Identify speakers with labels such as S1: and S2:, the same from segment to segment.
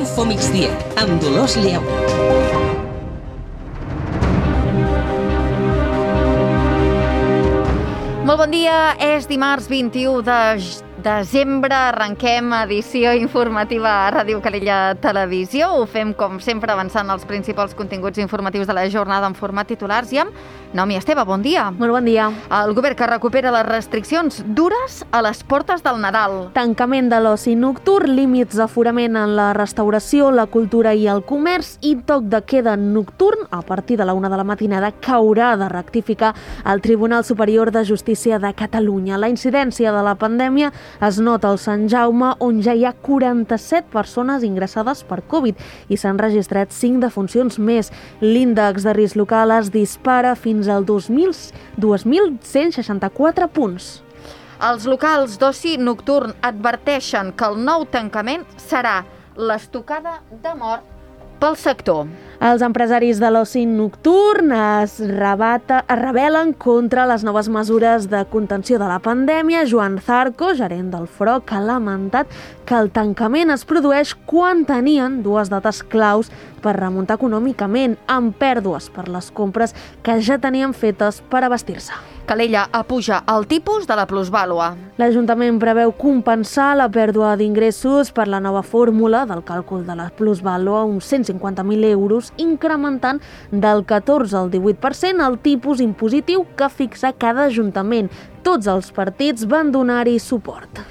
S1: Info Migdia, amb Dolors Lleu.
S2: Molt bon dia, és dimarts 21 de desembre, arrenquem edició informativa a Ràdio Calella Televisió. Ho fem, com sempre, avançant els principals continguts informatius de la jornada en format titulars i amb Naomi Esteve, bon dia.
S3: Molt bon dia.
S2: El govern que recupera les restriccions dures a les portes del Nadal.
S3: Tancament de l'oci nocturn, límits d'aforament en la restauració, la cultura i el comerç i toc de queda nocturn a partir de la 1 de la matinada que haurà de rectificar el Tribunal Superior de Justícia de Catalunya. La incidència de la pandèmia es nota al Sant Jaume, on ja hi ha 47 persones ingressades per Covid i s'han registrat 5 defuncions més. L'índex de risc local es dispara fins al 2.164 punts.
S2: Els locals d'oci nocturn adverteixen que el nou tancament serà l'estocada de mort pel sector.
S3: Els empresaris de l'oci nocturn es rebel·len contra les noves mesures de contenció de la pandèmia. Joan Zarco, gerent del FROC, ha lamentat que el tancament es produeix quan tenien dues dates claus per remuntar econòmicament, amb pèrdues per les compres que ja tenien fetes per abastir-se.
S2: Calella apuja el tipus de la plusvàlua.
S3: L'Ajuntament preveu compensar la pèrdua d'ingressos per la nova fórmula del càlcul de la plusvàlua, uns 150.000 euros, incrementant del 14 al 18% el tipus impositiu que fixa cada ajuntament. Tots els partits van donar-hi suport.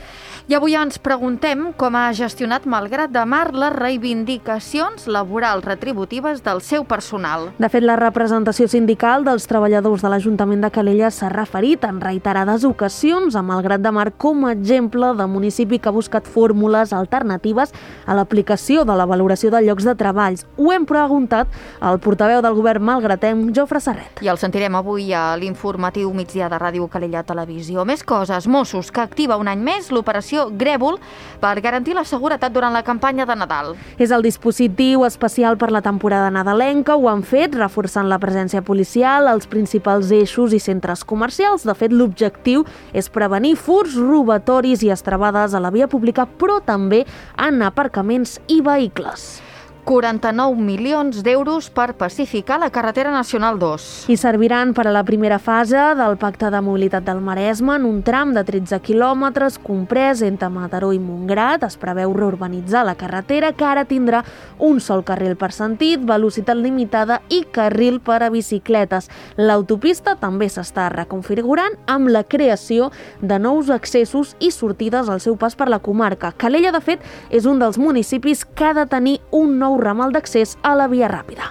S2: I avui ens preguntem com ha gestionat Malgrat de Mar les reivindicacions laborals retributives del seu personal.
S3: De fet, la representació sindical dels treballadors de l'Ajuntament de Calella s'ha referit en reiterades ocasions a Malgrat de Mar com a exemple de municipi que ha buscat fórmules alternatives a l'aplicació de la valoració de llocs de treballs. Ho hem preguntat al portaveu del govern malgratenc, Jofre Serret.
S2: I el sentirem avui a l'informatiu migdia de Ràdio Calella Televisió. Més coses, Mossos, que activa un any més l'operació Grèvol per garantir la seguretat durant la campanya de Nadal.
S3: És el dispositiu especial per la temporada nadalenca. Ho han fet reforçant la presència policial als principals eixos i centres comercials. De fet, l'objectiu és prevenir furts, robatoris i estrebades a la via pública, però també en aparcaments i vehicles.
S2: 49 milions d'euros per pacificar la carretera nacional 2.
S3: I serviran per a la primera fase del Pacte de Mobilitat del Maresme en un tram de 13 quilòmetres comprès entre Mataró i Montgrat. Es preveu reurbanitzar la carretera, que ara tindrà un sol carril per sentit, velocitat limitada i carril per a bicicletes. L'autopista també s'està reconfigurant amb la creació de nous accessos i sortides al seu pas per la comarca. Calella, de fet, és un dels municipis que ha de tenir un nou ramal d'accés a la via ràpida.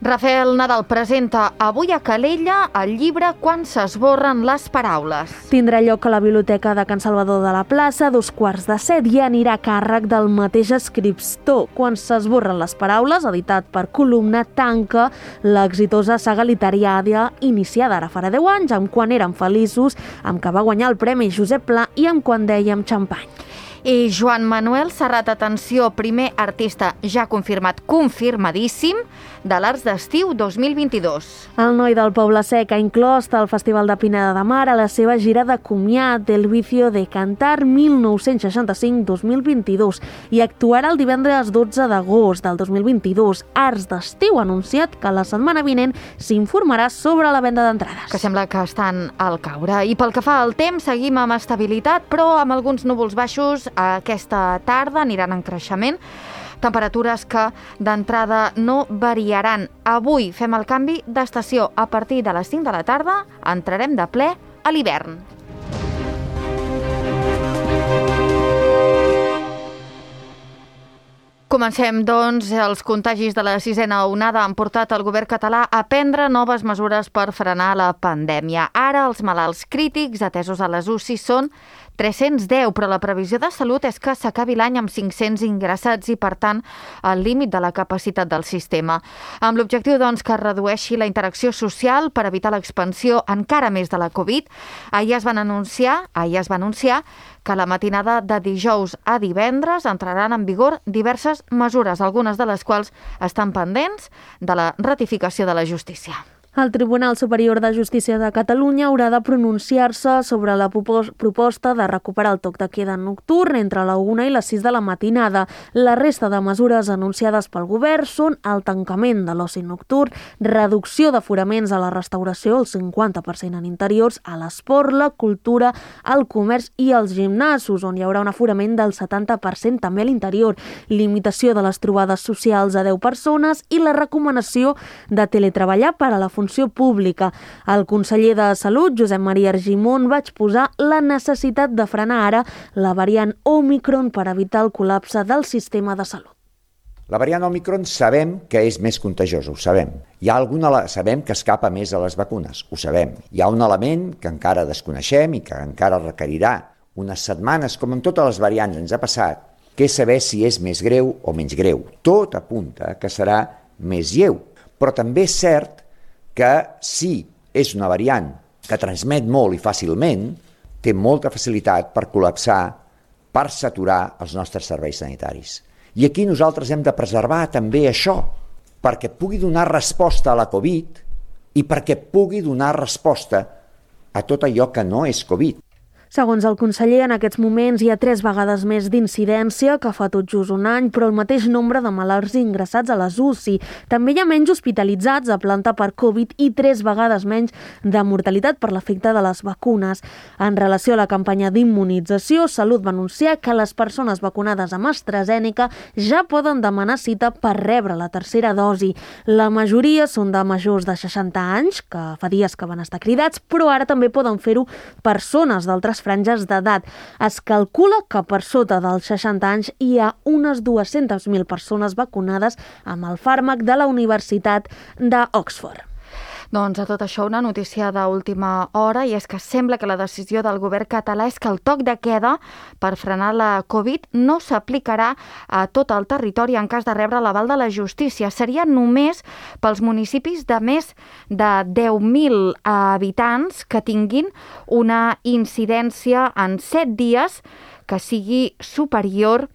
S2: Rafael Nadal presenta avui a Calella el llibre Quan s'esborren les paraules.
S3: Tindrà lloc a la Biblioteca de Can Salvador de la Plaça a 6:45 i anirà a càrrec del mateix escriptor. Quan s'esborren les paraules, editat per Columna, tanca l'exitosa saga literària iniciada ara farà 10 anys, amb Quan érem feliços, amb què va guanyar el Premi Josep Pla i amb Quan dèiem xampany.
S2: I Joan Manuel Serrat, atenció, primer artista ja confirmadíssim de l'Arts d'Estiu 2022.
S3: El noi del Poble Sec ha inclòs el Festival de Pineda de Mar a la seva gira de comiat del Vicio de Cantar 1965-2022 i actuarà el divendres 12 d'agost del 2022. Arts d'Estiu ha anunciat que la setmana vinent s'informarà sobre la venda d'entrades.
S2: Que sembla que estan al caure. I pel que fa al temps, seguim amb estabilitat, però amb alguns núvols baixos. Aquesta tarda aniran en creixement, temperatures que d'entrada no variaran. Avui fem el canvi d'estació. A partir de les 5 de la tarda entrarem de ple a l'hivern. Comencem, doncs. Els contagis de la sisena onada han portat el govern català a prendre noves mesures per frenar la pandèmia. Ara els malalts crítics atesos a les UCI són 310, però la previsió de Salut és que s'acabi l'any amb 500 ingressats i, per tant, al límit de la capacitat del sistema. Amb l'objectiu, doncs, que es redueixi la interacció social per evitar l'expansió encara més de la Covid, ahir es va anunciar que la matinada de dijous a divendres entraran en vigor diverses mesures, algunes de les quals estan pendents de la ratificació de la justícia.
S3: El Tribunal Superior de Justícia de Catalunya haurà de pronunciar-se sobre la proposta de recuperar el toc de queda nocturn entre la 1 i les 6 de la matinada. La resta de mesures anunciades pel govern són el tancament de l'oci nocturn, reducció d'aforaments a la restauració, el 50% en interiors, a l'esport, la cultura, el comerç i els gimnasos, on hi haurà un aforament del 70% també a l'interior, limitació de les trobades socials a 10 persones i la recomanació de teletreballar per a la funció pública. El conseller de Salut, Josep Maria Argimon, va exposar la necessitat de frenar ara la variant Òmicron per evitar el col·lapse del sistema de salut.
S4: La variant Òmicron sabem que és més contagiosa, ho sabem. Sabem que escapa més a les vacunes, ho sabem. Hi ha un element que encara desconeixem i que encara requerirà unes setmanes, com amb totes les variants ens ha passat, que és saber si és més greu o menys greu. Tot apunta que serà més lleu, però també és cert que si és una variant que transmet molt i fàcilment, té molta facilitat per col·lapsar, per saturar els nostres serveis sanitaris. I aquí nosaltres hem de preservar també això, perquè pugui donar resposta a la Covid i perquè pugui donar resposta a tot allò que no és Covid.
S3: Segons el conseller, en aquests moments hi ha 3 vegades més d'incidència que fa tot just un any, però el mateix nombre de malalts ingressats a les UCI. També hi ha menys hospitalitzats a planta per Covid i 3 vegades menys de mortalitat per l'efecte de les vacunes. En relació a la campanya d'immunització, Salut va anunciar que les persones vacunades amb AstraZeneca ja poden demanar cita per rebre la tercera dosi. La majoria són de majors de 60 anys, que fa dies que van estar cridats, però ara també poden fer-ho persones d'altres franges d'edat. Es calcula que per sota dels 60 anys hi ha unes 200.000 persones vacunades amb el fàrmac de la Universitat d'Oxford.
S2: Doncs a tot això una notícia d'última hora, i és que sembla que la decisió del govern català és que el toc de queda per frenar la Covid no s'aplicarà a tot el territori en cas de rebre l'aval de la justícia. Seria només pels municipis de més de 10.000 habitants que tinguin una incidència en 7 dies que sigui superior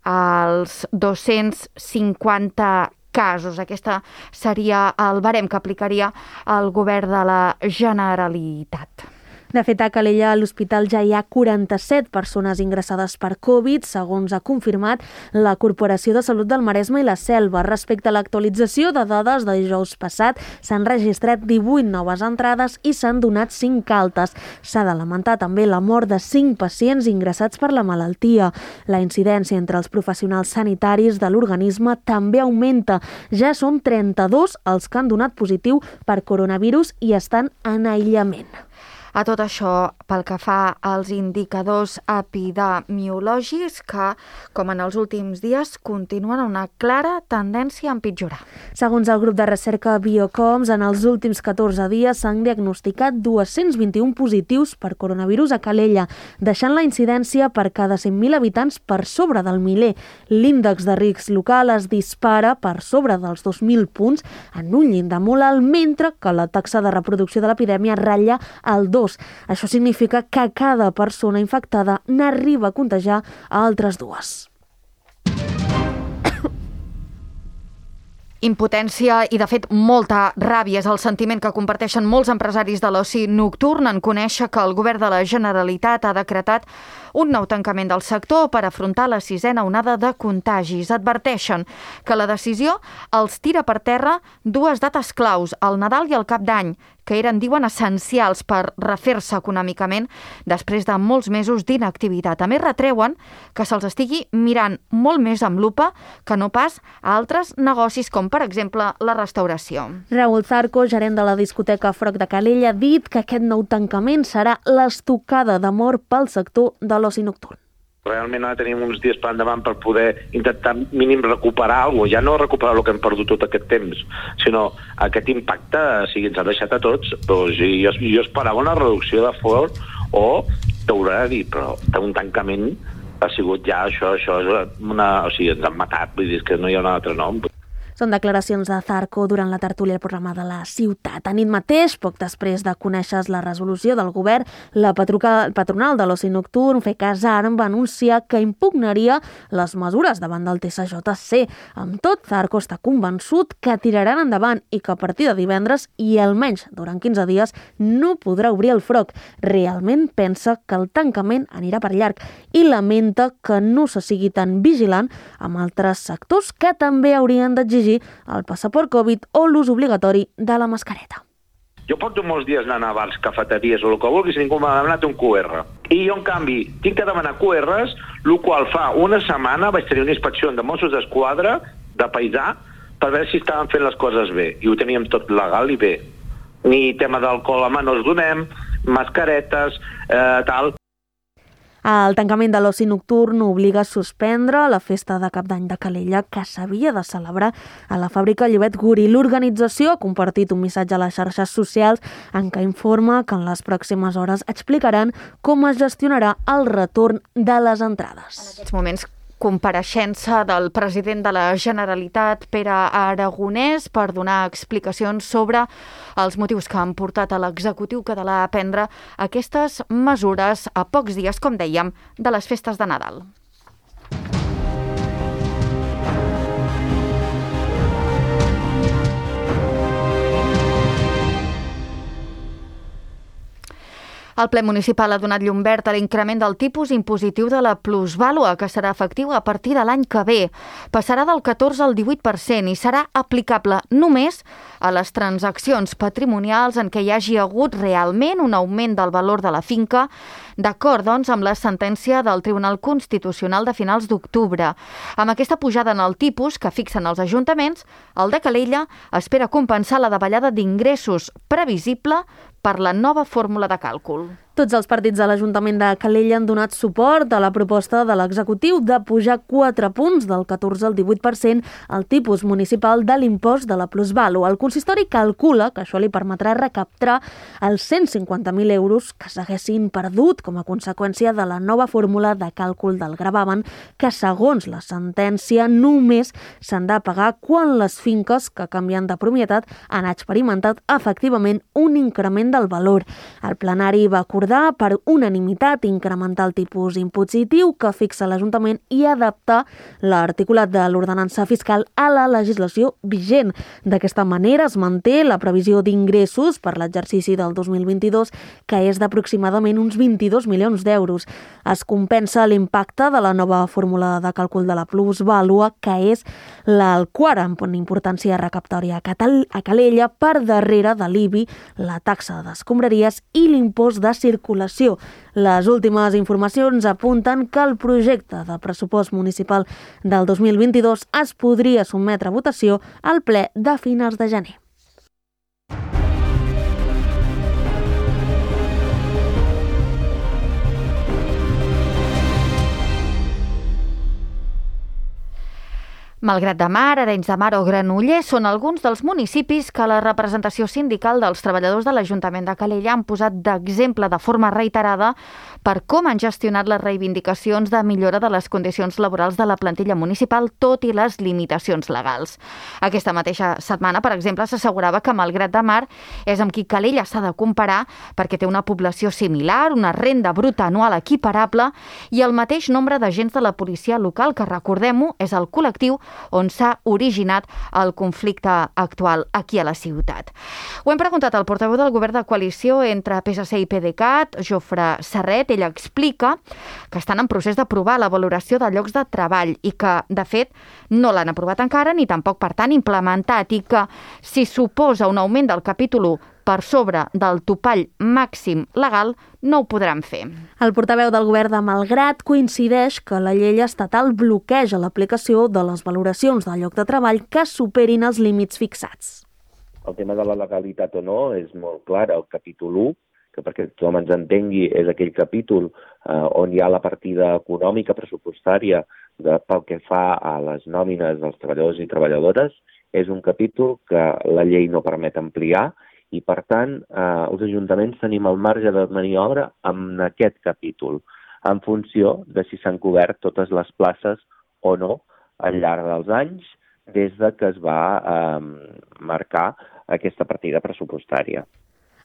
S2: als 250 casos. Aquesta seria el barem que aplicaria el govern de la Generalitat.
S3: De fet, a Calella, a l'hospital ja hi ha 47 persones ingressades per Covid, segons ha confirmat la Corporació de Salut del Maresme i la Selva. Respecte a l'actualització de dades de dijous passat, s'han registrat 18 noves entrades i s'han donat 5 altes. S'ha de lamentar també la mort de 5 pacients ingressats per la malaltia. La incidència entre els professionals sanitaris de l'organisme també augmenta. Ja són 32 els que han donat positiu per coronavirus i estan en aïllament.
S2: A tot això, pel que fa als indicadors epidemiològics que, com en els últims dies, continuen una clara tendència a empitjorar.
S3: Segons el grup de recerca Biocoms, en els últims 14 dies s'han diagnosticat 221 positius per coronavirus a Calella, deixant la incidència per cada 100.000 habitants per sobre del miler. L'índex de risc local es dispara per sobre dels 2.000 punts en un llindar molt alt, mentre que la taxa de reproducció de l'epidèmia ratlla el 2. Això significa que cada persona infectada n'arriba a contagiar a altres 2.
S2: Impotència i, de fet, molta ràbia és el sentiment que comparteixen molts empresaris de l'oci nocturn en conèixer que el govern de la Generalitat ha decretat un nou tancament del sector per afrontar la 6a onada de contagis. Adverteixen que la decisió els tira per terra 2 dates claus, el Nadal i el Cap d'Any, que eren, diuen, essencials per refer-se econòmicament després de molts mesos d'inactivitat. A més, retreuen que se'ls estigui mirant molt més amb lupa que no pas a altres negocis, com per exemple la restauració.
S3: Raúl Zarco, gerent de la discoteca Froc de Calella, ha dit que aquest nou tancament serà l'estocada de mort pel sector de l'oci nocturn.
S5: Realment ara tenim uns dies per endavant per poder intentar mínim recuperar alguna cosa, ja no recuperar el que hem perdut tot aquest temps, sinó aquest impacte, si ens ha deixat a tots. Doncs jo esperava una reducció de fort o t'haurà de dir, però un tancament ha sigut ja això és una... O sigui, ens han matat, vull dir que no hi ha un altre nom.
S3: Són declaracions de Zarco durant la tertúlia al programa de la ciutat. A nit mateix, poc després de conèixer la resolució del govern, la patronal de l'oci nocturn, FECASARM, va anunciar que impugnaria les mesures davant del TSJC. Amb tot, Zarco està convençut que tiraran endavant i que a partir de divendres i almenys durant 15 dies no podrà obrir el froc. Realment pensa que el tancament anirà per llarg i lamenta que no se sigui tan vigilant amb altres sectors que també haurien d'exigir el passaport Covid o l'ús obligatori de la mascareta.
S5: Jo porto molts dies anant a bars, cafeteries o el que vulguis i ningú m'ha demanat un QR. I jo, en canvi, tinc que demanar QRs, el qual fa una setmana vaig tenir una inspecció de Mossos d'Esquadra, de paisà, per veure si estaven fent les coses bé. I ho teníem tot legal i bé. Ni tema d'alcohol a mà no els donem, mascaretes, tal.
S3: El tancament de l'oci nocturn obliga a suspendre la festa de Cap d'Any de Calella que s'havia de celebrar a la fàbrica Llobet Guri. L'organització ha compartit un missatge a les xarxes socials en què informa que en les pròximes hores explicaran com es gestionarà el retorn de les entrades.
S2: En aquests moments, compareixença del president de la Generalitat, Pere Aragonès, per donar explicacions sobre els motius que han portat a l'executiu català a prendre aquestes mesures a pocs dies, com dèiem, de les festes de Nadal. El ple municipal ha donat llum verd a l'increment del tipus impositiu de la plusvàlua, que serà efectiu a partir de l'any que ve. Passarà del 14 al 18% i serà aplicable només a les transaccions patrimonials en què hi hagi hagut realment un augment del valor de la finca, d'acord, doncs, amb la sentència del Tribunal Constitucional de finals d'octubre. Amb aquesta pujada en el tipus que fixen els ajuntaments, el de Calella espera compensar la davallada d'ingressos previsible per la nova fórmula de càlcul.
S3: Tots els partits de l'Ajuntament de Calella han donat suport a la proposta de l'executiu de pujar 4 punts del 14 al 18% el tipus municipal de l'impost de la plusvàlua. El consistori calcula que això li permetrà recaptar els 150.000 euros que s'haguessin perdut com a conseqüència de la nova fórmula de càlcul del gravamen, que segons la sentència només s'han de pagar quan les finques que canvien de propietat han experimentat efectivament un increment del valor. El plenari va acordar per unanimitat incrementar el tipus impositiu que fixa l'Ajuntament i adaptar l'articulat de l'ordenança fiscal a la legislació vigent. D'aquesta manera es manté la previsió d'ingressos per l'exercici del 2022, que és d'aproximadament uns 22 milions d'euros. Es compensa l'impacte de la nova fórmula de càlcul de la plusvàlua, que és el quart en importància recaptòria a Calella, per darrere de l'IBI, la taxa d'escombraries i l'impost de circulació. Les últimes informacions apunten que el projecte de pressupost municipal del 2022 es podria sotmetre a votació al ple de finals de gener.
S2: Malgrat de Mar, Arenys de Mar o Granollers són alguns dels municipis que la representació sindical dels treballadors de l'Ajuntament de Calella han posat d'exemple de forma reiterada per com han gestionat les reivindicacions de millora de les condicions laborals de la plantilla municipal, tot i les limitacions legals. Aquesta mateixa setmana, per exemple, s'assegurava que Malgrat de Mar és amb qui Calella s'ha de comparar perquè té una població similar, una renda bruta anual equiparable i el mateix nombre d'agents de la policia local, que, recordem-ho, és el col·lectiu on s'ha originat el conflicte actual aquí a la ciutat. Ho hem preguntat al portaveu del govern de coalició entre PSC i PDeCAT, Jofre Serret. Ell explica que estan en procés d'aprovar la valoració de llocs de treball i que, de fet, no l'han aprovat encara ni tampoc, per tant, implementat, i que si suposa un augment del capítol 1 per sobre del topall màxim legal, no ho podran fer.
S3: El portaveu del govern de Malgrat coincideix que la llei estatal bloqueja l'aplicació de les valoracions del lloc de treball que superin els límits fixats.
S6: El tema de la legalitat o no és molt clar. El capítol 1, que perquè tothom ens entengui és aquell capítol on hi ha la partida econòmica pressupostària pel que fa a les nòmines dels treballadors i treballadores, és un capítol que la llei no permet ampliar i, per tant, els ajuntaments tenim el marge de maniobra en aquest capítol, en funció de si s'han cobert totes les places o no al llarg dels anys, des de que es va marcar aquesta partida pressupostària.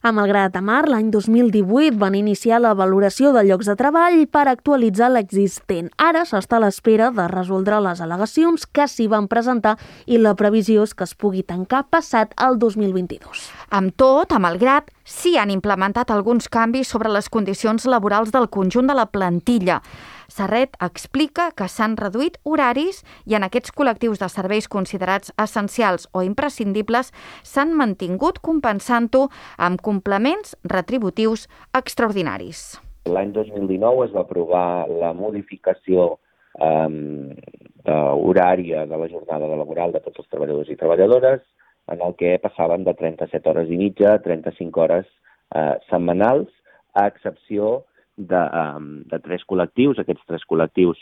S3: A Malgrat de Mar, l'any 2018 van iniciar la valoració de llocs de treball per actualitzar l'existent. Ara s'està a l'espera de resoldre les al·legacions que s'hi van presentar i la previsió és que es pugui tancar passat el 2022.
S2: Amb tot, a Malgrat, sí han implementat alguns canvis sobre les condicions laborals del conjunt de la plantilla. Serret explica que s'han reduït horaris i en aquests col·lectius de serveis considerats essencials o imprescindibles s'han mantingut compensant-ho amb complements retributius extraordinaris.
S6: L'any 2019 es va aprovar la modificació horària de la jornada laboral de tots els treballadors i treballadores, en el que passaven de 37 hores i mitja a 35 hores setmanals, a excepció de 3 col·lectius. Aquests 3 col·lectius,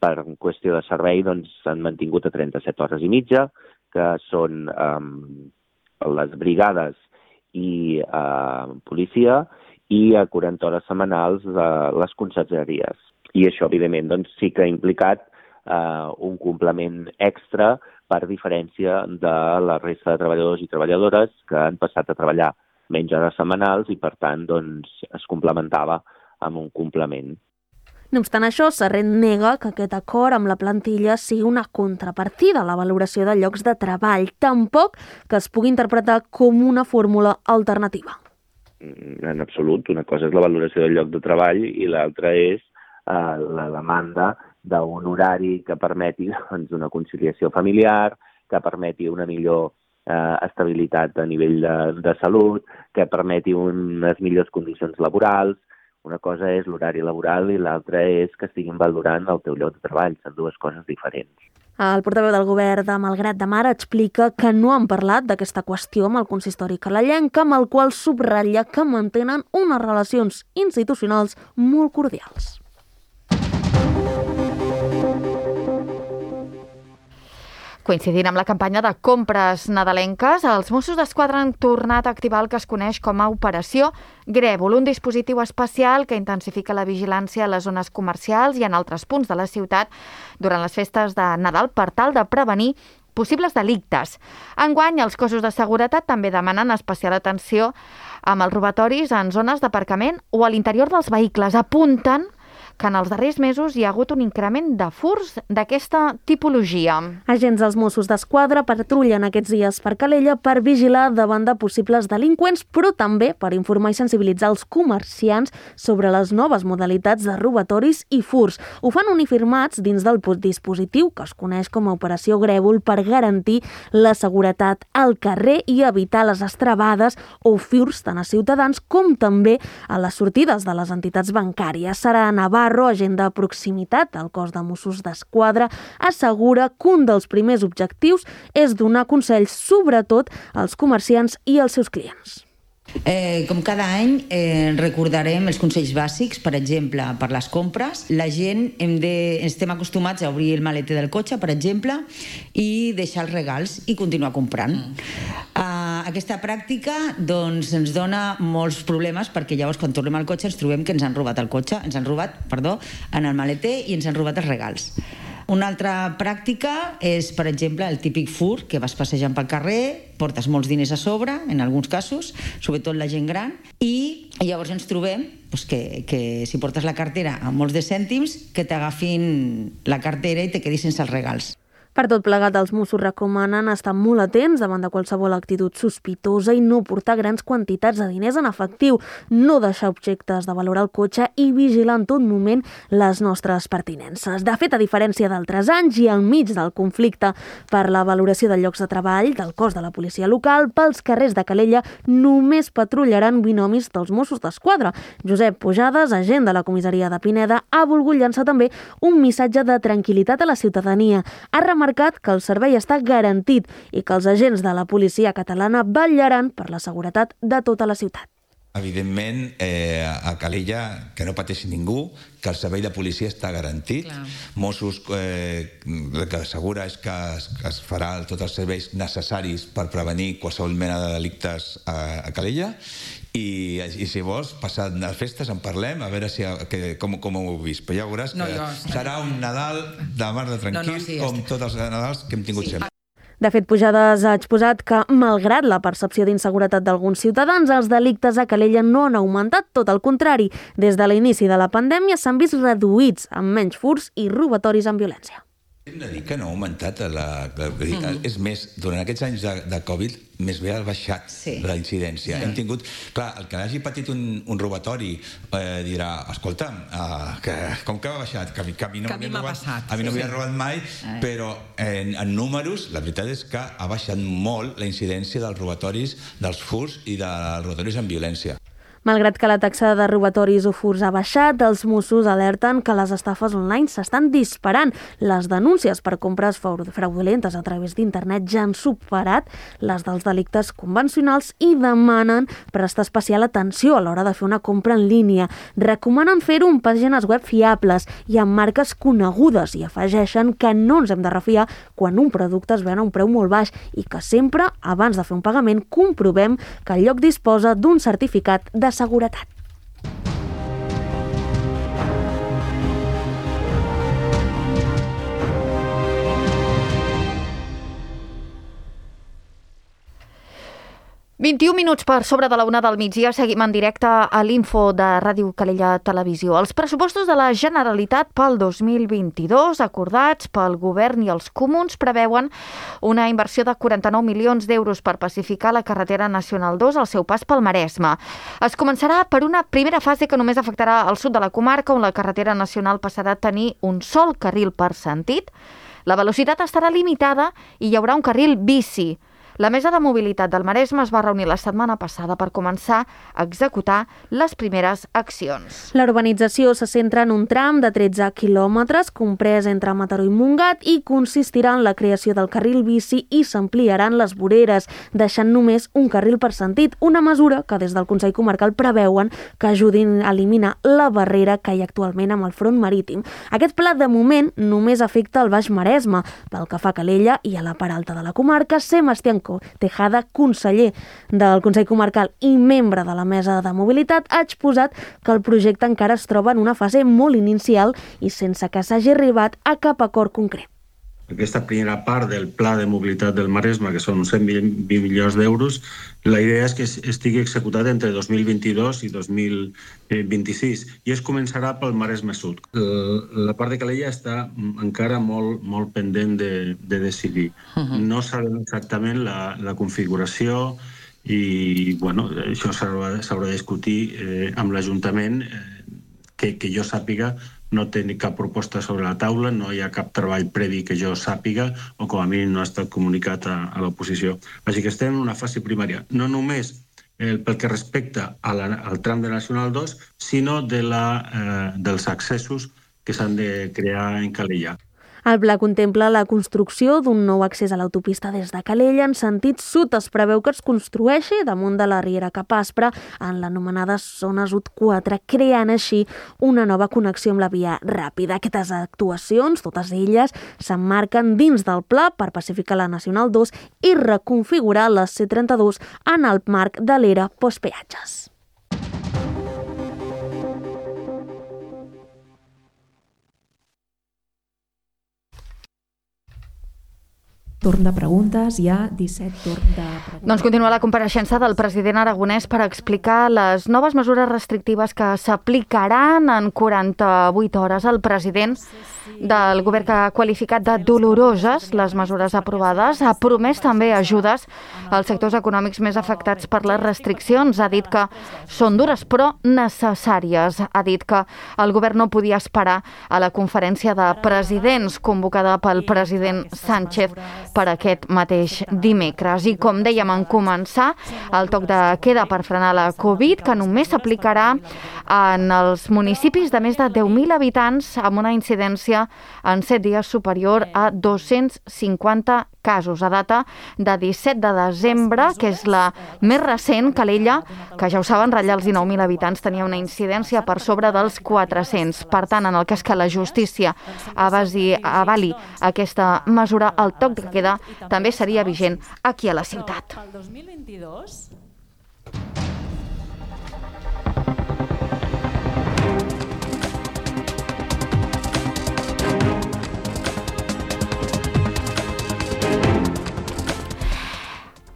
S6: per qüestió de servei, s'han mantingut a 37 hores i mitja, que són les brigades i policia, i a 40 hores setmanals les consergeries. I això, evidentment, sí que ha implicat un complement extra per diferència de la resta de treballadors i treballadores que han passat a treballar menys hores setmanals i, per tant, es complementava amb un complement.
S3: No obstant això, Serret nega que aquest acord amb la plantilla sigui una contrapartida a la valoració de llocs de treball, tampoc que es pugui interpretar com una fórmula alternativa.
S6: En absolut. Una cosa és la valoració del lloc de treball i l'altra és la demanda d'un horari que permeti una conciliació familiar, que permeti una millor estabilitat a nivell de salut, que permeti unes millors condicions laborals. Una cosa és l'horari laboral i l'altra és que estiguin valorant el teu lloc de treball. Són dues coses diferents.
S3: El portaveu del govern de Malgrat de Mar explica que no han parlat d'aquesta qüestió amb el consistori calalenc, amb el qual subratlla que mantenen unes relacions institucionals molt cordials.
S2: Coincidint amb la campanya de compres nadalenques, els Mossos d'Esquadra han tornat a activar el que es coneix com a Operació Grèvol, un dispositiu especial que intensifica la vigilància a les zones comercials i en altres punts de la ciutat durant les festes de Nadal per tal de prevenir possibles delictes. Enguany, els cossos de seguretat també demanen especial atenció amb els robatoris en zones d'aparcament o a l'interior dels vehicles. Apunten que en els darrers mesos hi ha hagut un increment de furts d'aquesta tipologia.
S3: Agents dels Mossos d'Esquadra patrullen aquests dies per Calella per vigilar davant de possibles delinqüents, però també per informar i sensibilitzar els comerciants sobre les noves modalitats de robatoris i furts. Ho fan uniformats dins del dispositiu que es coneix com a Operació Grèvol per garantir la seguretat al carrer i evitar les estrebades o furts tant a ciutadans com també a les sortides de les entitats bancàries. Sara Navarro, agent de proximitat al cos de Mossos d'Esquadra, assegura que un dels primers objectius és donar consells sobretot als comerciants i als seus clients.
S7: Com cada any recordarem els consells bàsics, per exemple, per les compres. La gent estem acostumats a obrir el maleter del cotxe, per exemple, i deixar els regals i continuar comprant. Aquesta pràctica ens dona molts problemes perquè llavors quan tornem al cotxe ens trobem que ens han robat el cotxe, en el maleter i ens han robat els regals. Una altra pràctica és, per exemple, el típic furt, que vas passejant pel carrer, portes molts diners a sobre, en alguns casos, sobretot la gent gran, i llavors ens trobem que si portes la cartera amb molts de cèntims, que t'agafin la cartera i te quedis sense els regals.
S3: Per tot plegat, els Mossos recomanen estar molt atents davant de qualsevol actitud sospitosa i no portar grans quantitats de diners en efectiu, no deixar objectes de valor al cotxe i vigilar en tot moment les nostres pertinences. De fet, a diferència d'altres anys i enmig del conflicte per la valoració de llocs de treball del cos de la policia local, pels carrers de Calella només patrullaran binomis dels Mossos d'Esquadra. Josep Pujades, agent de la comissaria de Pineda, ha volgut llançar també un missatge de tranquil·litat a la ciutadania. Ha remarcat que el servei està garantit i que els agents de la policia catalana vetllaran per la seguretat de tota la ciutat.
S8: Evidentment, a Calella, que no pateixi ningú, que el servei de policia està garantit. Clar. Mossos, el que assegura és que es farà tots els serveis necessaris per prevenir qualsevol mena de delictes a Calella. I si vols, passat les festes en parlem, a veure com ho heu vist. Però ja veuràs que serà un Nadal de mar de tranquil, com tots els Nadals que hem tingut sempre.
S3: De fet, Pujades ha exposat que, malgrat la percepció d'inseguretat d'alguns ciutadans, els delictes a Calella no han augmentat, tot el contrari. Des de l'inici de la pandèmia s'han vist reduïts, amb menys furts i robatoris amb violència.
S8: Hem de dir que no ha augmentat És més, durant aquests anys de Covid més bé ha baixat la incidència. Hem tingut... Clar, el que hagi patit un robatori dirà, escolta'm, com que ha baixat? Que a mi no m'havia robat mai, però en números la veritat és que ha baixat molt la incidència dels robatoris, dels furts i dels robatoris amb violència.
S3: Malgrat que la taxa de robatoris o furts ha baixat, els Mossos alerten que les estafes online s'estan disparant. Les denúncies per compres fraudulentes a través d'internet ja han superat les dels delictes convencionals i demanen prestar especial atenció a l'hora de fer una compra en línia. Recomanen fer-ho en pàgines web fiables i amb marques conegudes i afegeixen que no ens hem de refiar quan un producte es ven a un preu molt baix i que sempre, abans de fer un pagament, comprovem que el lloc disposa d'un certificat de seguretat.
S2: ...21 minuts per sobre de la 1 del migdia, seguim en directe a l'Info de Ràdio Calella Televisió. Els pressupostos de la Generalitat pel 2022, acordats pel Govern i els Comuns, preveuen una inversió de 49 milions d'euros per pacificar la carretera Nacional 2 al seu pas pel Maresme. Es començarà per una primera fase que només afectarà el sud de la comarca, on la carretera nacional passarà a tenir un sol carril per sentit. La velocitat estarà limitada i hi haurà un carril bici. La Mesa de Mobilitat del Maresme es va reunir la setmana passada per començar a executar les primeres accions.
S3: La urbanització se centra en un tram de 13 quilòmetres comprès entre Mataró i Montgat i consistirà en la creació del carril bici i s'ampliaran les voreres, deixant només un carril per sentit, una mesura que des del Consell Comarcal preveuen que ajudin a eliminar la barrera que hi ha actualment amb el front marítim. Aquest pla, de moment, només afecta el Baix Maresme. Pel que fa a Calella i a la part alta de la comarca, Sebastián Tejada, conseller del Consell Comarcal i membre de la Mesa de Mobilitat, ha exposat que el projecte encara es troba en una fase molt inicial i sense que s'hagi arribat a cap acord concret.
S9: Aquesta primera part del Pla de Mobilitat del Maresme, que són 120 milions d'euros, la idea és que estigui executat entre 2022 i 2026 i es començarà pel Maresme Sud. La part de Calella està encara molt pendent de decidir. No sabem exactament la configuració i això s'haurà de discutir amb l'Ajuntament, que jo sàpiga no té cap proposta sobre la taula, no hi ha cap treball previ que jo sàpiga o com a mínim no ha estat comunicat a l'oposició. Així que estem en una fase primària, no només pel que respecta al tram de Nacional 2, sinó dels accessos que s'han de crear en Calella.
S3: El pla contempla la construcció d'un nou accés a l'autopista des de Calella en sentit sud. Es preveu que es construeixi damunt de la Riera Cap Aspre en l'anomenada zona sud 4, creant així una nova connexió amb la via ràpida. Aquestes actuacions, totes elles, s'emmarquen dins del pla per pacificar la Nacional 2 i reconfigurar la C32 en el marc de l'era postpeatges.
S10: Torn de preguntes, hi ha 17 torn de preguntes.
S2: Doncs continua la compareixença del president aragonès per explicar les noves mesures restrictives que s'aplicaran en 48 hores. El president del govern que ha qualificat de doloroses les mesures aprovades, ha promès també ajudes als sectors econòmics més afectats per les restriccions. Ha dit que són dures però necessàries. Ha dit que el govern no podia esperar a la conferència de presidents convocada pel president Sánchez per aquest mateix dimecres. I com dèiem en començar, el toc de queda per frenar la Covid, que només s'aplicarà en els municipis de més de 10.000 habitants amb una incidència en 7 dies superior a 250 casos. A data de 17 de desembre, que és la més recent, Calella, que ja ho saben, ratlla els 19.000 habitants, tenia una incidència per sobre dels 400. Per tant, en el cas que la justícia avali aquesta mesura, el toc de queda també seria vigent aquí a la ciutat.
S10: El 2022...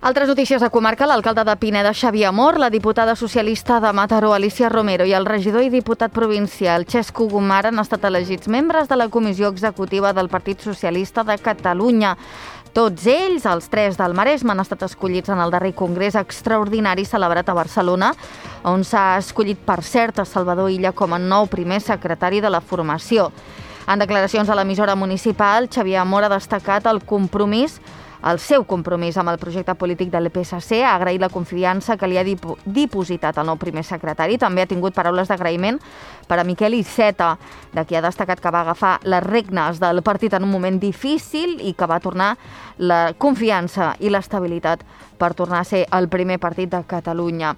S2: Altres notícies de comarca, l'alcalde de Pineda, Xavier Amor, la diputada socialista de Mataró, Alicia Romero, i el regidor i diputat provincial, Xesco Gomar, han estat elegits membres de la Comissió Executiva del Partit Socialista de Catalunya. Tots ells, els 3 del Maresme, han estat escollits en el darrer congrés extraordinari celebrat a Barcelona, on s'ha escollit, per cert, a Salvador Illa com a nou primer secretari de la formació. En declaracions a l'emissora municipal, Xavier Amor ha destacat el seu compromís amb el projecte polític del PSC, ha agraït la confiança que li ha dipositat el nou primer secretari. També ha tingut paraules d'agraïment per a Miquel Iceta, de qui ha destacat que va agafar les regnes del partit en un moment difícil i que va tornar la confiança i l'estabilitat per tornar a ser el primer partit de Catalunya.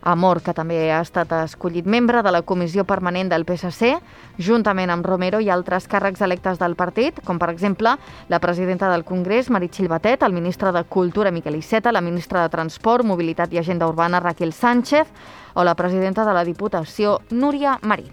S2: Amor, que també ha estat escollit membre de la Comissió Permanent del PSC, juntament amb Romero i altres càrrecs electes del partit, com per exemple la presidenta del Congrés, Meritxell Batet, el ministre de Cultura, Miquel Iceta, la ministra de Transport, Mobilitat i Agenda Urbana, Raquel Sánchez, o la presidenta de la Diputació, Núria Marín.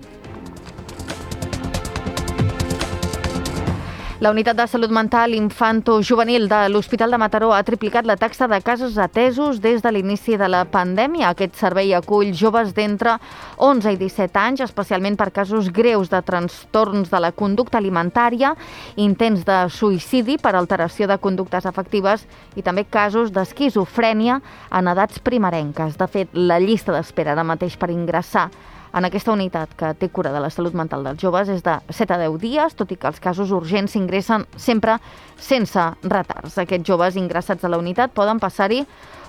S2: La Unitat de Salut Mental Infanto-Juvenil de l'Hospital de Mataró ha triplicat la taxa de casos atesos des de l'inici de la pandèmia. Aquest servei acull joves d'entre 11 i 17 anys, especialment per casos greus de trastorns de la conducta alimentària, intents de suïcidi per alteració de conductes afectives i també casos d'esquizofrènia en edats primerenques. De fet, la llista d'espera ara mateix per ingressar en aquesta unitat que té cura de la salut mental dels joves és de 7 a 10 dies, tot i que els casos urgents s'ingressen sempre sense retards. Aquests joves ingressats a la unitat poden passar-hi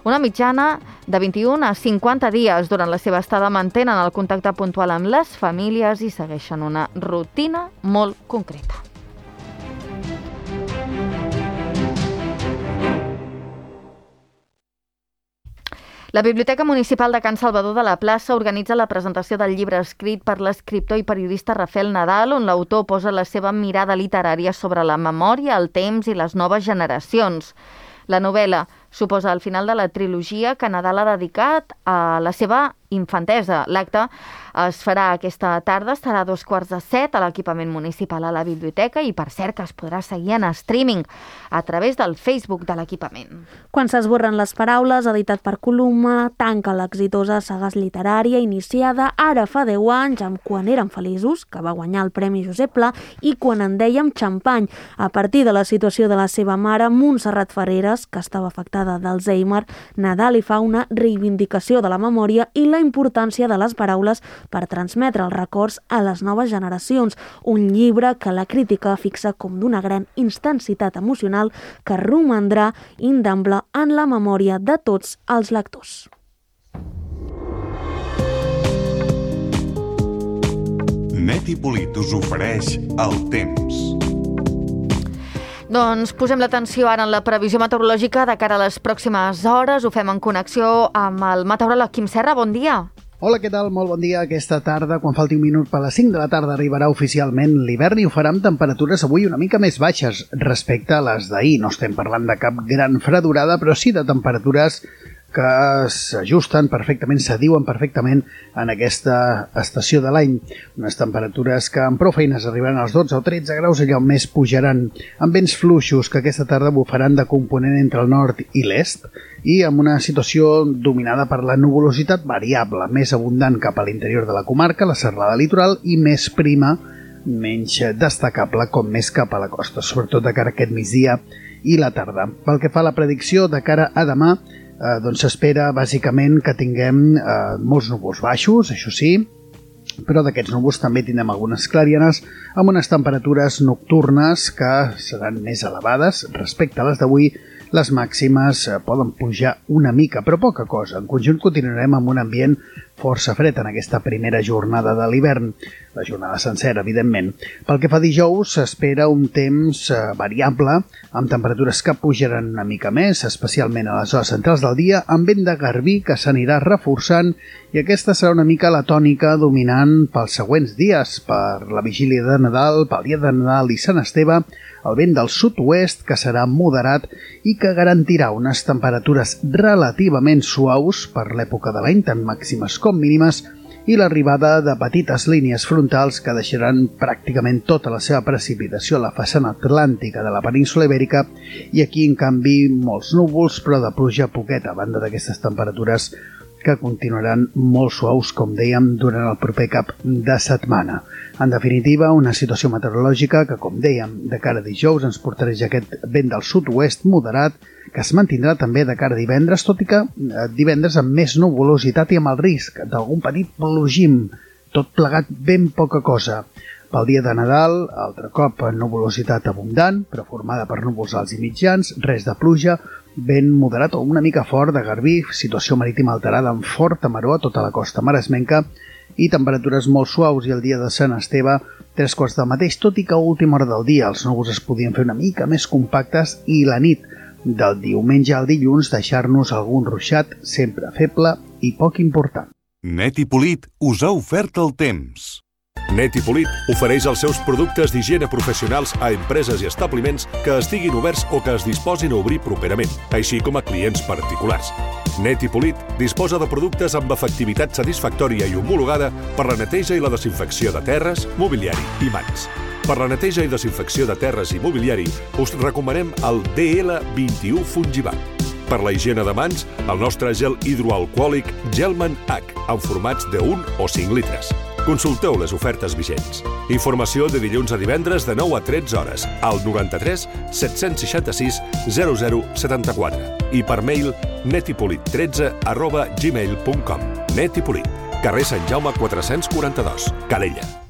S2: una mitjana de 21 a 50 dies. Durant la seva estada mantenen el contacte puntual amb les famílies i segueixen una rutina molt concreta. La Biblioteca Municipal de Can Salvador de la Plaça organitza la presentació del llibre escrit per l'escriptor i periodista Rafael Nadal, on l'autor posa la seva mirada literària sobre la memòria, el temps i les noves generacions. La novel·la suposa el final de la trilogia que Nadal ha dedicat a la seva infantesa. L'acte es farà aquesta tarda, estarà a 6:45 a l'equipament municipal a la biblioteca i, per cert, que es podrà seguir en streaming a través del Facebook de l'equipament.
S3: Quan s'esborren les paraules, editat per Columna, tanca l'exitosa saga literària iniciada ara fa 10 anys amb Quan érem feliços, que va guanyar el Premi Josep Pla, i Quan en dèiem xampany, a partir de la situació de la seva mare, Montserrat Ferreres, que estava afectada d'Alzheimer. Nadal hi fa una reivindicació de la memòria i la importància de les paraules per transmetre els records a les noves generacions. Un llibre que la crítica fixa com d'una gran intensitat emocional que romandrà indemne en la memòria de tots els lectors.
S11: Neti Polit us ofereix el temps.
S2: Doncs posem l'atenció ara en la previsió meteorològica de cara a les pròximes hores. Ho fem en connexió amb el meteoròleg Quim Serra. Bon dia.
S12: Hola, què tal? Molt bon dia. Aquesta tarda, quan falti un minut per les 5 de la tarda, arribarà oficialment l'hivern i ho farà amb temperatures avui una mica més baixes respecte a les d'ahir. No estem parlant de cap gran fredurada, però sí de temperatures que s'ajusten perfectament, s'adiuen perfectament en aquesta estació de l'any. Unes temperatures que amb prou feines arribaran als 12 o 13 graus, allà on més pujaran, amb vents fluixos que aquesta tarda bufaran de component entre el nord i l'est i amb una situació dominada per la nuvolositat variable, més abundant cap a l'interior de la comarca, la serralada litoral, i més prima, menys destacable, com més cap a la costa, sobretot de cara a aquest migdia i la tarda. Pel que fa a la predicció de cara a demà, doncs s'espera bàsicament que tinguem molts núvols baixos, això sí, però d'aquests núvols també tindrem algunes clarianes amb unes temperatures nocturnes que seran més elevades respecte a les d'avui. Les màximes poden pujar una mica, però poca cosa. En conjunt continuarem amb un ambient força fred en aquesta primera jornada de l'hivern, la jornada sencera, evidentment. Pel que fa a dijous, s'espera un temps variable, amb temperatures que pujaran una mica més, especialment a les hores centrals del dia, amb vent de garbí que s'anirà reforçant, i aquesta serà una mica la tònica dominant pels següents dies, per la vigília de Nadal, pel dia de Nadal i Sant Esteve, el vent del sud-oest, que serà moderat i que garantirà unes temperatures relativament suaus per l'època de l'any, tant màximes com mínimes, i l'arribada de petites línies frontals que deixaran pràcticament tota la seva precipitació a la façana atlàntica de la península Ibèrica i aquí, en canvi, molts núvols, però de pluja poqueta, a banda d'aquestes temperatures que continuaran molt suaus, com dèiem, durant el proper cap de setmana. En definitiva, una situació meteorològica que, com dèiem, de cara a dijous ens portarà aquest vent del sud-oest moderat que es mantindrà també de cara a divendres, tot i que divendres amb més nuvolositat i amb el risc d'algun petit plogim, tot plegat ben poca cosa. Pel dia de Nadal, altre cop nuvolositat abundant, però formada per núvols alts i mitjans, res de pluja, vent moderat o una mica fort de garbí, situació marítima alterada amb forta maró a tota la costa maresmenca i temperatures molt suaus i el dia de Sant Esteve 3 quarts del mateix, tot i que a última hora del dia els núvols es podien fer una mica més compactes i la nit del diumenge al dilluns deixar-nos algun ruixat sempre feble i poc important.
S11: Net i Polit us ha ofert el temps.
S13: Net i Polit ofereix els seus productes d'higiene professionals a empreses i establiments que estiguin oberts o que es disposin a obrir properament, així com a clients particulars. Net i Polit disposa de productes amb efectivitat satisfactòria i homologada per la neteja i la desinfecció de terres, mobiliari i mans. Per la neteja i desinfecció de terres i mobiliari us recomanem el DL21 Fungival. Per la higiene de mans, el nostre gel hidroalcohòlic Gelman H, en formats de 1 o 5 litres. Consulteu les ofertes vigents. Informació de dilluns a divendres de 9 a 13 hores al 93 766 0074 i per mail netipolit13@gmail.com. Net i Polit, carrer Sant Jaume 442, Calella.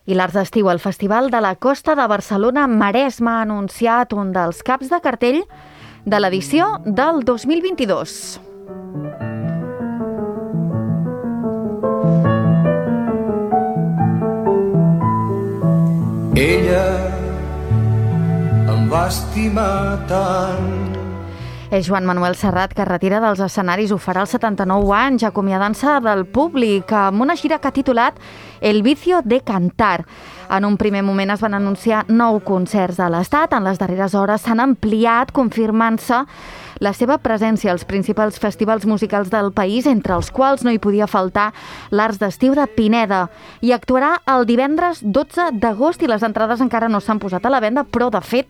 S2: I l'Arts d'Estiu, el Festival de la Costa de Barcelona Maresme, ha anunciat un dels caps de cartell de l'edició del 2022.
S14: Ella em va estimar tant.
S2: És Joan Manuel Serrat, que retira dels escenaris, ho farà als 79 anys, acomiadant-se del públic, amb una gira que ha titulat El vicio de cantar. En un primer moment es van anunciar 9 concerts a l'Estat, en les darreres hores s'han ampliat, confirmant-se la seva presència als principals festivals musicals del país, entre els quals no hi podia faltar l'Arts d'Estiu de Pineda. I actuarà el divendres 12 d'agost i les entrades encara no s'han posat a la venda, però de fet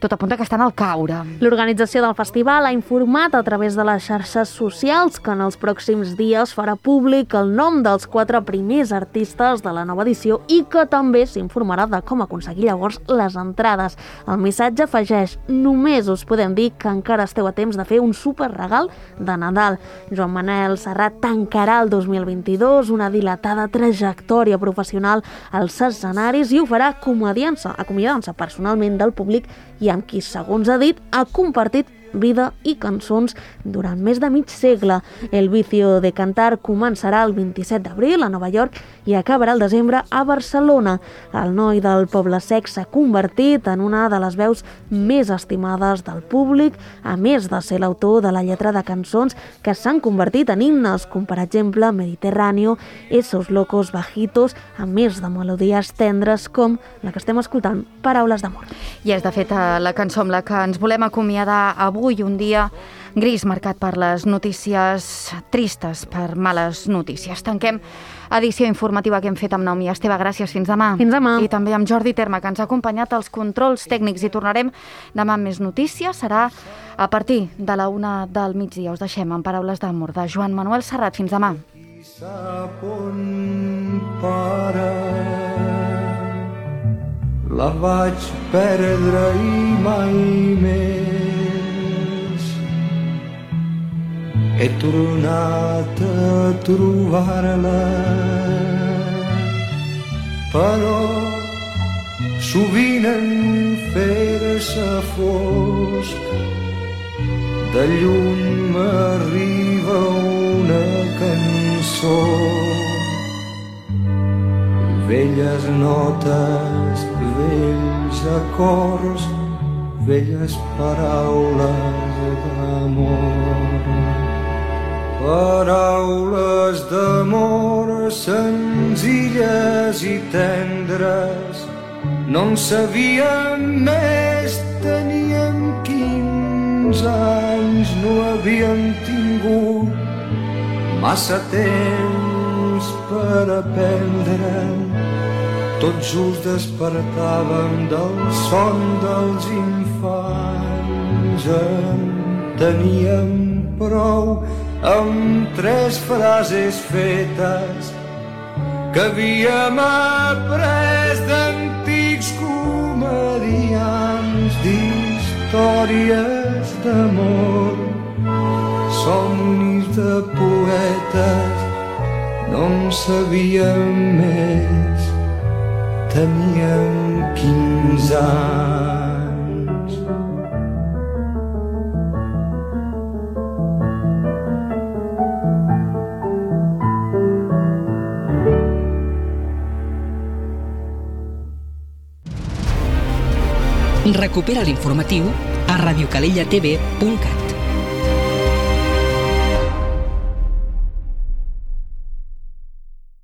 S2: tot apunta que estan al caure.
S3: L'organització del festival ha informat a través de les xarxes socials que en els pròxims dies farà públic el nom dels 4 primers artistes de la nova edició i que també s'informarà de com aconseguir llavors les entrades. El missatge afegeix: només us podem dir que encara esteu a temps de fer un superregal de Nadal. Joan Manuel Serrat tancarà el 2022 una dilatada trajectòria professional als escenaris i ho farà acomiadant-se personalment del públic i amb qui, segons ha dit, ha compartit vida i cançons durant més de mig segle. El vicio de cantar començarà el 27 d'abril a Nova York i acabarà el desembre a Barcelona. El noi del Poble Sec s'ha convertit en una de les veus més estimades del públic, a més de ser l'autor de la lletra de cançons que s'han convertit en himnes, com per exemple Mediterráneo, Esos locos bajitos, a més de melodies tendres com la que estem escoltant, Paraules d'amor.
S2: I és de fet la cançó amb la que ens volem acomiadar avui, un dia gris marcat per les notícies tristes, per males notícies. Tanquem edició informativa que hem fet amb Naomi Esteve. Gràcies, fins demà.
S3: Fins demà.
S2: I també amb Jordi Terma, que ens ha acompanyat als controls tècnics, i tornarem demà amb més notícies. Serà a partir de la 1 del migdia. Us deixem amb Paraules d'amor de Joan Manuel Serrat. Fins demà.
S14: Sap on la vaig perdre i mai més he tornat a trobar-la, però sovint en fer-se fosc de lluny m'arriba una cançó, velles notes, vells acords, velles paraules d'amor. Paraules d'amor senzilles i tendres, no en sabíem més, teníem 15 anys, no havíem tingut massa temps per aprendre. Tot just despertàvem del son dels infants. En teníem prou amb 3 frases fetes que havíem après d'antics comedians, d'històries d'amor, somnis de poetes. No en sabíem més, teníem 15 anys.
S1: Recupera l'informatiu a radiocalellatv.cat.